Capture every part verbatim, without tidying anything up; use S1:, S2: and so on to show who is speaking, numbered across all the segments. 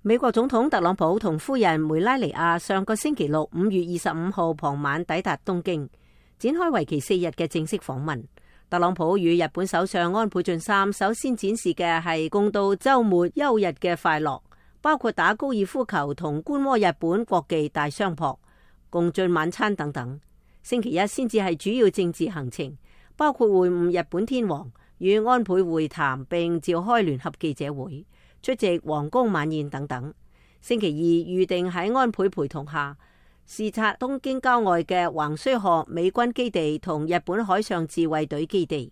S1: 美國總統特朗普同夫人梅拉尼亞上個星期六五月二十五號傍晚抵達東京，展開為期四日嘅正式訪問。特朗普與日本首相安倍晉三首先展示嘅係共度週末休日嘅快樂，包括打高爾夫球同觀摩日本國技大相撲、共進晚餐等等。星期一先至係主要政治行程，包括會晤日本天皇、與安倍會談並召開聯合記者會、出席皇宮晚宴等等。星期二預定喺安倍陪同下視察東京郊外嘅橫須賀美軍基地同日本海上自衛隊基地。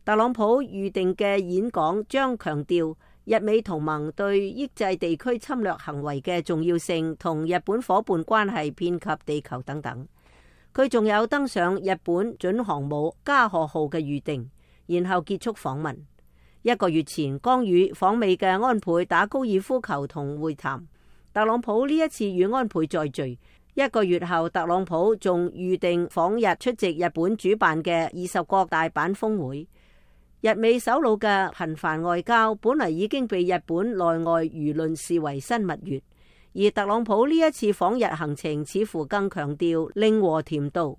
S1: 特朗普預定嘅演講將強調日美同盟對抑制地區侵略行為嘅重要性，同日本夥伴關係遍及地球等等。佢仲有登上日本準航母加賀號嘅預定，然後結束訪問。一個月前剛與訪美嘅安倍打高爾夫球同會談，特朗普呢一次與安倍再聚。一個月後，特朗普仲預定訪日出席日本主辦嘅二十國大阪峰會。日美首腦嘅頻繁外交本嚟已經被日本內外輿論視為新蜜月，而特朗普呢一次訪日行程似乎更強調令和甜度，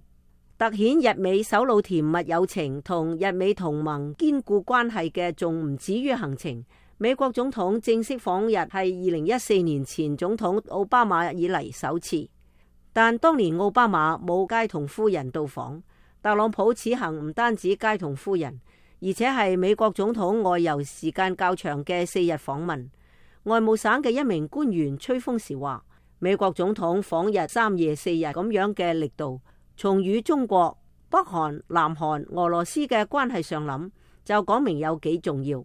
S1: 凸顯日美首腦甜蜜友情同日美同盟堅固關係嘅，仲唔止於行程。美國總統正式訪日係二零一四年前總統奧巴馬以嚟首次。但當年奧巴馬冇偕同夫人到訪，特朗普此行唔單止偕同夫人，而且係美國總統外遊時間較長嘅四日訪問。外務省嘅一名官員吹風時話，美國總統訪日三夜四日咁樣嘅力度，從與中國、北韓、南韓、俄羅斯嘅關係上諗，就講明有幾重要。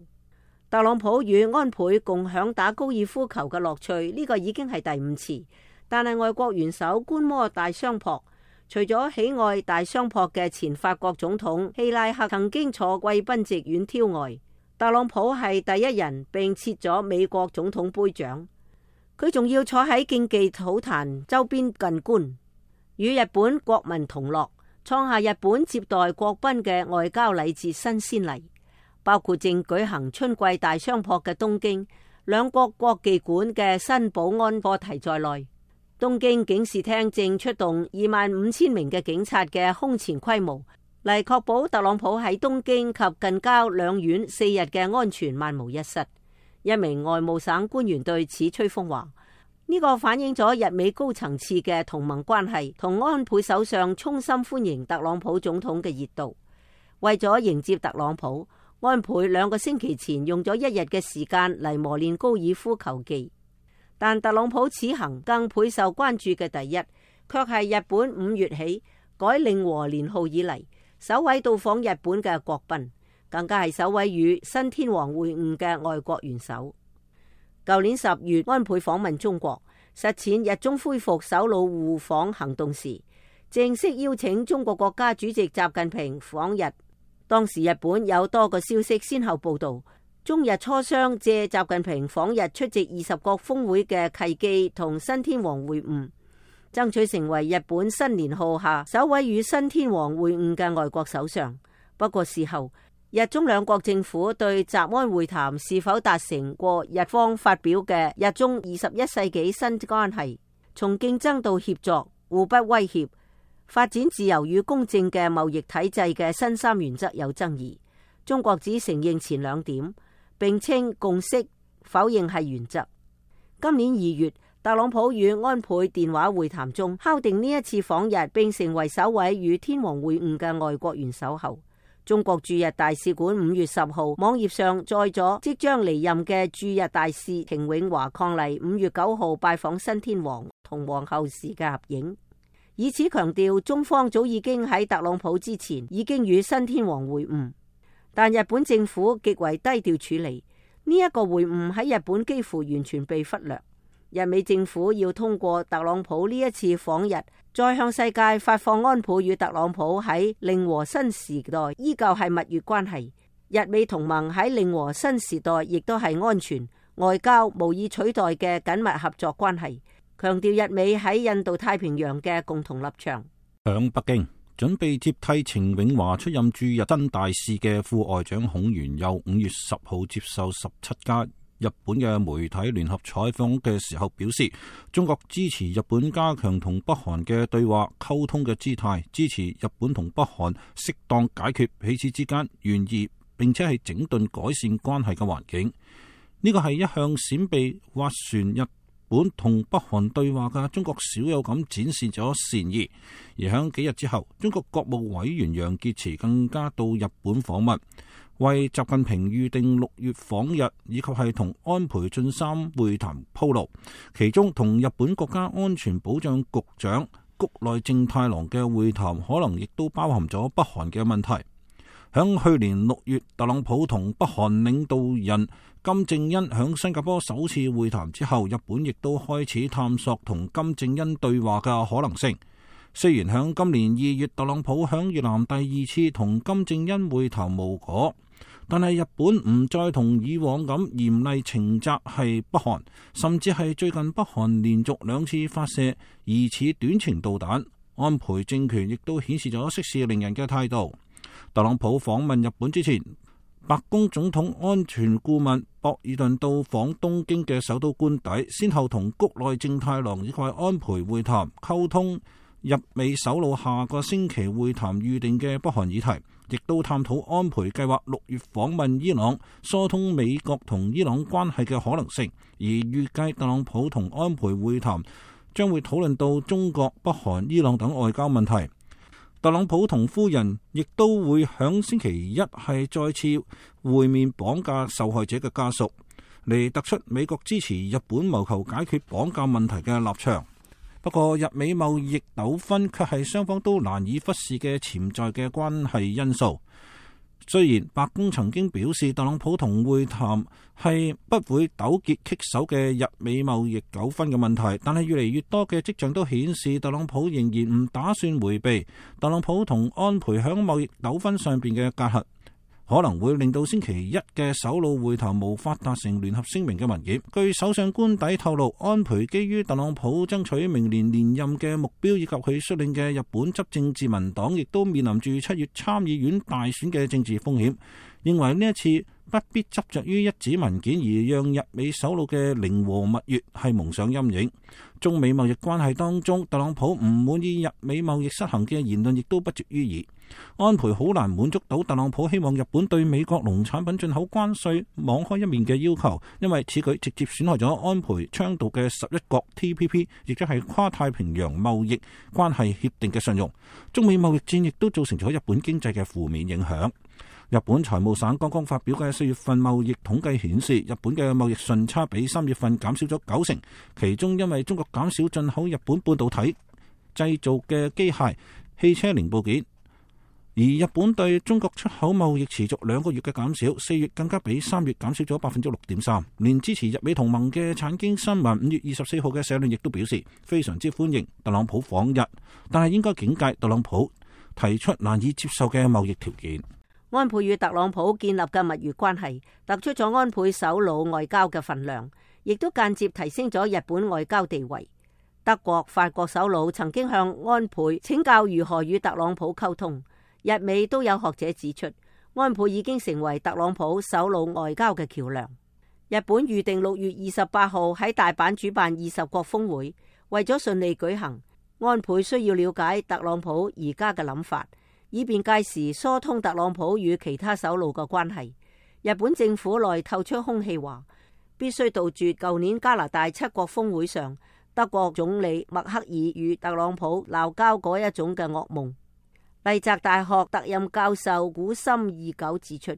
S1: 特朗普與安倍共享打高爾夫球嘅樂趣，呢個已經係第五次。但係外國元首觀摩大相撲，除咗喜愛大相撲嘅前法國總統希拉克曾經坐貴賓席遠眺外，特朗普係第一人並設咗美國總統杯獎。佢仲要坐喺競技土壇周邊近觀，與日本國民同樂，創下日本接待國賓嘅外交禮節新先例。包括正舉行春季大相撲嘅東京，兩國國技館嘅新保安課題在內，東京警視廳正出動二萬五千名嘅警察嘅空前規模，嚟確保特朗普喺東京及近郊兩縣四日嘅安全萬無一失。一名外務省官員對此吹風話：呢個反映咗日美高層次嘅同盟關係，同安倍首相衷心歡迎特朗普總統嘅熱度。為咗迎接特朗普，安倍兩個星期前用咗一日嘅時間嚟磨練高爾夫球技。但特朗普此行更倍受關注嘅第一，卻係日本五月起改令和年號以嚟首位到訪日本嘅國賓，更加係首位與新天皇會晤嘅外國元首。舊年十月，安倍訪問中國，實踐日中恢復首腦互訪行動時，正式邀請中國國家主席習近平訪日。當時日本有多個消息先後報道，中日磋商借習近平訪日出席二十國峰會嘅契機，同新天皇會晤，爭取成為日本新年號下首位與新天皇會晤嘅外國首相。不過事後，日中兩國政府對習安會談是否達成過日方發表嘅日中二十一世紀新關係，從競爭到協作、互不威脅、發展自由與公正嘅貿易體制嘅新三原則有爭議。中國只承認前兩點，並稱共識，否認係原則。今年二月，特朗普與安倍電話會談中敲定呢一次訪日並成為首位與天皇會晤嘅外國元首後，中國駐日大使館五月十號網頁上載咗即將離任嘅駐日大使程永華伉儷五月九號拜訪新天皇同皇后時嘅合影，以此強調中方早已經喺特朗普之前已經與新天皇會晤。但日本政府極為低調處理呢一個會晤，喺日本幾乎完全被忽略。日美政府要通過特朗普呢一次訪日，再向世界發放安倍與特朗普喺令和新時代依舊係蜜月關係，日美同盟喺令和新時代亦都係安全外交無以取代嘅緊密合作關係，強調日美喺印度太平洋嘅共同立場。
S2: 響北京，準備接替程永華出任駐日新大使嘅副外長孔鉉佑五月十號接受十七家日本嘅媒體聯合採訪嘅時候表示，中國支持日本加強同北韓嘅對話溝通嘅姿態，支持日本同北韓適當解決彼此之間懸疑，並且係整頓改善關係嘅環境。呢個係一向閃避斡旋日本同北韓對話嘅中國少有咁展示咗善意。而響幾日之後，中國國務委員楊潔篪更加到日本訪問，為習近平預定六月訪日以及係同安倍晉三會談鋪路。其中同日本國家安全保障局長谷內正太郎嘅會談，可能亦都包含咗北韓嘅問題。響去年六月，特朗普同北韓領導人金正恩響新加坡首次會談之後，日本亦都開始探索同金正恩對話嘅可能性。雖然響今年二月，特朗普響越南第二次同金正恩會談無果，但係日本唔再同以往咁嚴厲懲責係北韓，甚至係最近北韓連續兩次發射疑似短程導彈，安倍政權亦都顯示咗息事寧人嘅態度。特朗普訪問日本之前，白宮總統安全顧問博爾頓到訪東京嘅首都官邸，先後同谷內正太郎以及安倍會談，溝通日美首腦下個星期會談預定嘅北韓議題，亦都探討安倍計劃六月訪問伊朗，疏通美國同伊朗關係嘅可能性。而預計特朗普同安倍會談將會討論到中國、北韓、伊朗等外交問題。特朗普同夫人亦都會響星期一係再次會面綁架受害者嘅家屬，嚟突出美國支持日本謀求解決綁架問題嘅立場。不過，日美貿易糾紛卻係雙方都難以忽視嘅潛在嘅關係因素。雖然白宮曾經表示特朗普同會談係不會糾結棘手嘅日美貿易糾紛嘅問題，但係越嚟越多嘅跡象都顯示特朗普仍然唔打算迴避特朗普同安倍響貿易糾紛上邊嘅隔閡，可能會令到星期一嘅首腦會談無法達成聯合聲明嘅文件。據首相官邸透露，安倍基於特朗普爭取明年連任嘅目標，以及佢率領嘅日本執政自民黨亦都面臨住七月參議院大選嘅政治風險，認為呢一次不必執着於一紙文件，而讓日美首腦嘅寧和蜜月係蒙上陰影。中美貿易關係當中，特朗普唔滿意日美貿易失衡嘅言論亦都不絕於耳。安倍好難滿足到特朗普希望日本對美國農產品進口關稅網開一面嘅要求，因為此舉直接損害咗安倍倡導嘅十一國 T P P， 亦即係跨太平洋貿易關係協定嘅信用。中美貿易戰亦都造成咗日本經濟嘅負面影響。日本財務省剛剛發表嘅四月份貿易統計顯示，日本嘅貿易順差比三月份減少咗九成，其中因為中國減少進口日本半導體製造嘅機械、汽車零部件，而日本對中國出口貿易持續兩個月嘅減少，四月更加比三月減少咗百分之六點三。連支持日美同盟嘅產經新聞五月二十四號嘅社論亦都表示非常之歡迎特朗普訪日，但係應該警戒特朗普提出難以接受嘅貿易條件。
S1: 安倍與特朗普建立嘅蜜月關係，突出咗安倍首腦外交嘅份量，亦都間接提升咗日本外交地位。德國、法國首腦曾經向安倍請教如何與特朗普溝通，日美都有學者指出，安倍已經成為特朗普首腦外交嘅橋樑。日本預定六月二十八號喺大阪主辦二十國峰會，為咗順利舉行，安倍需要了解特朗普而家嘅諗法，以便屆時疏通特朗普與其他首腦嘅關係。日本政府內透出空氣話，必須杜絕舊年加拿大七國峰會上德國總理默克爾與特朗普鬧交嗰一種嘅噩夢。麗澤大學特任教授古森義久指出，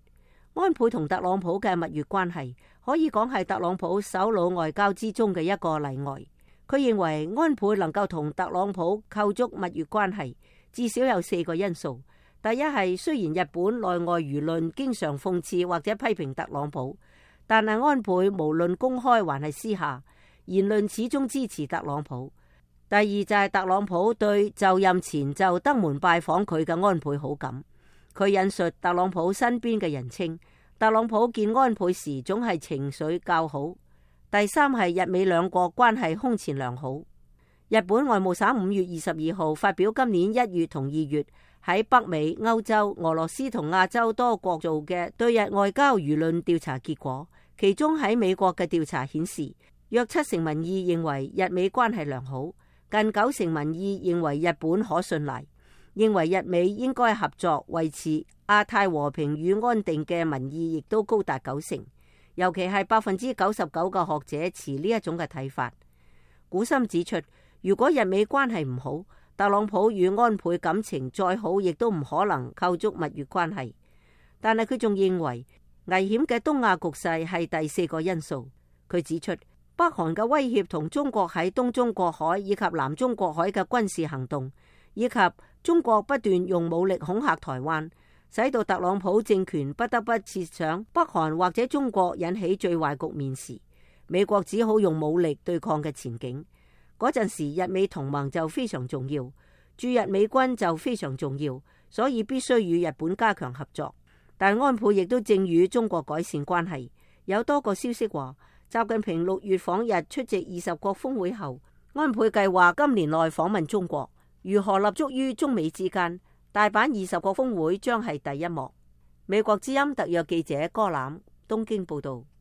S1: 安倍同特朗普嘅蜜月關係可以講係特朗普首腦外交之中嘅一個例外。佢認為安倍能夠同特朗普構築蜜月關係，至少有四個因素。第一係，雖然日本內外輿論經常諷刺或者批評特朗普，但係安倍無論公開還係私下，言論始終支持特朗普。第二就係特朗普對就任前就登門拜訪佢嘅安倍好感。佢引述特朗普身邊嘅人稱，特朗普見安倍時總係情緒較好。第三係日美兩國關係空前良好。日本外務省五月二十二號發表今年一月同二月喺北美、歐洲、俄羅斯同亞洲多國做嘅對日外交輿論調查結果，其中喺美國嘅調查顯示，約七成民意認為日美關係良好，近九成民意認為日本可信賴，認為日美應該合作維持亞太和平與安定嘅民意亦都高達九成，尤其係百分之九十九嘅學者持呢一種嘅睇法。古森指出，如果日美關係唔好，特朗普與安倍感情再好，亦都唔可能構築蜜月關係。但係佢仲認為危險嘅東亞局勢係第四個因素。佢指出，北韓嘅威脅同中國喺東中國海以及南中國海嘅軍事行動，以及中國不斷用武力恐嚇台灣，使到特朗普政權不得不設想北韓或者中國引起最壞局面時，美國只好用武力對抗嘅前景。嗰陣時，日美同盟就非常重要，駐日美軍就非常重要，所以必須與日本加強合作。但安倍亦都正與中國改善關係。有多個消息話，習近平六月訪日出席二十國峰會後，安倍計劃今年內訪問中國。如何立足於中美之間？大阪二十國峰會將係第一幕。美國之音特約記者柯欖東京報道。